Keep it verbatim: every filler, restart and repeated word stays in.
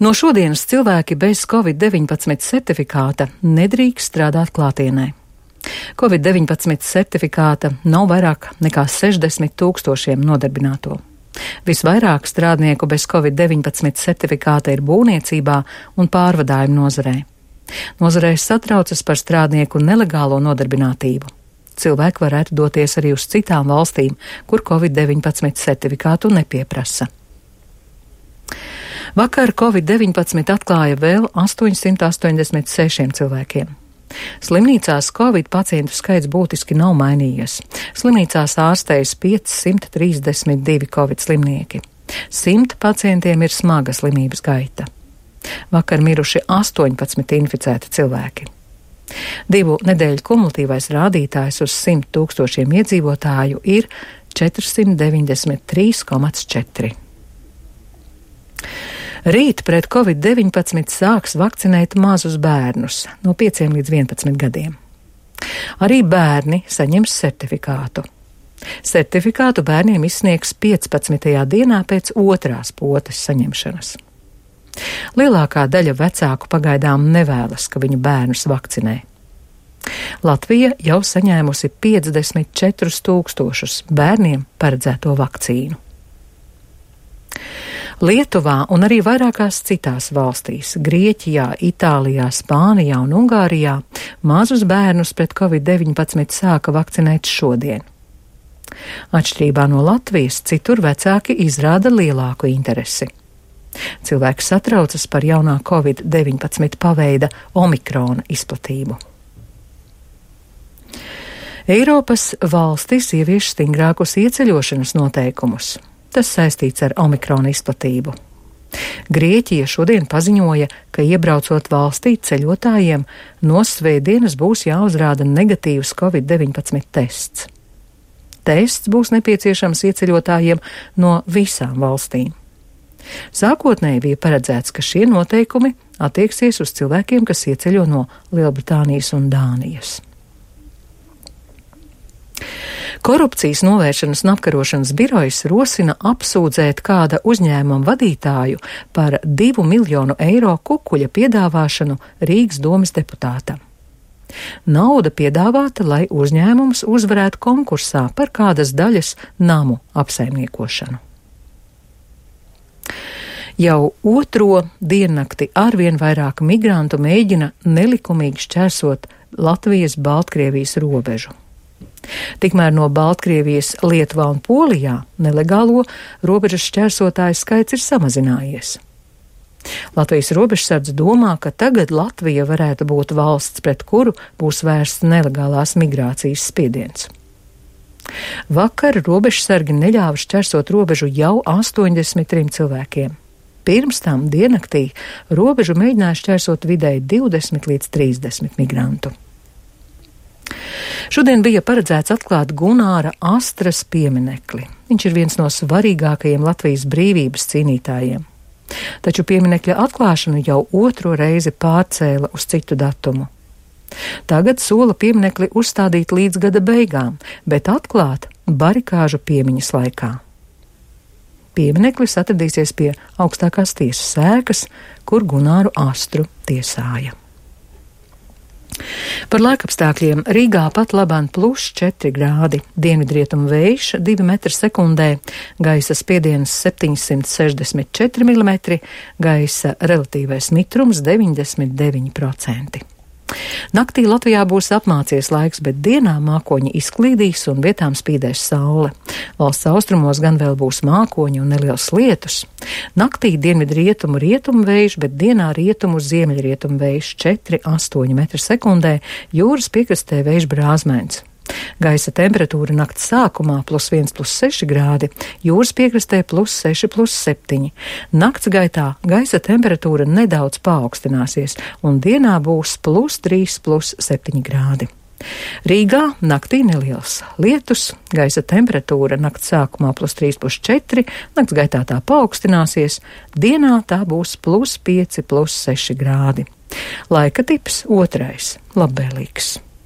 No šodienas cilvēki bez covid deviņpadsmit certifikāta nedrīkst strādāt klātienē. covid deviņpadsmit certifikāta nav vairāk nekā sešdesmit tūkstošiem nodarbināto. Visvairāk strādnieku bez covid deviņpadsmit certifikāta ir būvniecībā un pārvadājumu nozarē. Nozarē satraucas par strādnieku nelegālo nodarbinātību. Cilvēki varētu doties arī uz citām valstīm, kur covid deviņpadsmit certifikātu nepieprasa. Vakar covid deviņpadsmit atklāja vēl astoņsimt astoņdesmit sešiem cilvēkiem. Slimnīcās covid pacientu skaits būtiski nav mainījies. Slimnīcās ārstējas piecsimt trīsdesmit divi covid slimnieki. Simt pacientiem ir smaga slimības gaita. Vakar miruši astoņpadsmit inficēti cilvēki. Divu nedēļu kumulatīvais rādītājs uz simt tūkstošiem iedzīvotāju ir četrsimt deviņdesmit trīs komats četri. Rīt pret covid deviņpadsmit sāks vakcinēt mazus bērnus no pieciem līdz vienpadsmit gadiem. Arī bērni saņems certifikātu. Certifikātu bērniem izsniegs piecpadsmitajā dienā pēc otrās potes saņemšanas. Lielākā daļa vecāku pagaidām nevēlas, ka viņu bērnus vakcinē. Latvija jau saņēmusi piecdesmit četrus tūkstošus bērniem paredzēto vakcīnu. Lietuvā un arī vairākās citās valstīs – Grieķijā, Itālijā, Spānijā un Ungārijā – mazus bērnus pret covid deviņpadsmit sāka vakcinēt šodien. Atšķirībā no Latvijas, citur vecāki izrāda lielāku interesi. Cilvēki satraucas par jaunā covid deviņpadsmit paveida omikrona izplatību. Eiropas valstis ievieš stingrākus ieceļošanas noteikumus. Tas saistīts ar omikrona izplatību. Grieķija šodien paziņoja, ka iebraucot valstī ceļotājiem no svētdienas būs jāuzrāda negatīvs covid deviņpadsmit tests. Tests būs nepieciešams ieceļotājiem no visām valstīm. Sākotnēji bija paredzēts, ka šie noteikumi attieksies uz cilvēkiem, kas ieceļo no Lielbritānijas un Dānijas. Korupcijas novēršanas un apkarošanas birojas rosina apsūdzēt kāda uzņēmuma vadītāju par divu miljonu eiro kukuļa piedāvāšanu Rīgas domes deputātam. Nauda piedāvāta, lai uzņēmums uzvarētu konkursā par kādas daļas namu apsaimniekošanu. Jau otro diennakti arvien vairāk migrantu mēģina nelikumīgi šķērsot Latvijas-Baltkrievijas robežu. Tikmēr no Baltkrievijas, Lietuvā un Polijā nelegālo robežas šķērsotāju skaits ir samazinājies. Latvijas robežsardze domā, ka tagad Latvija varētu būt valsts, pret kuru būs vērsts nelegālās migrācijas spiediens. Vakar robežsargi neļāva šķērsot robežu jau astoņdesmit trim cilvēkiem. Pirms tam diennaktī robežu mēģināja šķērsot vidēji divdesmit līdz trīsdesmit migrantu. Šodien bija paredzēts atklāt Gunāra Astras pieminekli. Viņš ir viens no svarīgākajiem Latvijas brīvības cīnītājiem. Taču pieminekļa atklāšanu jau otro reizi pārcēla uz citu datumu. Tagad sola pieminekli uzstādīt līdz gada beigām, bet atklāt barikāžu piemiņas laikā. Piemineklis atradīsies pie augstākās tiesas ēkas, kur Gunāru Astru tiesāja. Par laikapstākļiem Rīgā pat labāk plus četri grādi, dienvidrietumu vējš divi metri sekundē, gaisa spiediens septiņsimt sešdesmit četri milimetri, gaisa relatīvais mitrums deviņdesmit deviņi procenti. Naktī Latvijā būs apmācies laiks, bet dienā mākoņi izklīdīs un vietām spīdēs saule. Valsts austrumos gan vēl būs mākoņi un neliels lietus. Naktī dienvidu rietumu rietumu vējš, bet dienā rietumu ziemeļrietumu vējš četri astoņi metri sekundē, jūras piekrastē vējš brāzmēns. Gaisa temperatūra nakts sākumā plus viens plus seši grādi, jūras piekrastē plus seši plus septiņi. Nakts gaitā gaisa temperatūra nedaudz paaugstināsies un dienā būs plus trīs plus septiņi grādi. Rīgā naktī neliels lietus, gaisa temperatūra nakts sākumā plus trīs plus četri, nakts gaitā tā paaugstināsies, dienā tā būs plus pieci plus seši grādi. Laika tips otrais - labvēlīgs.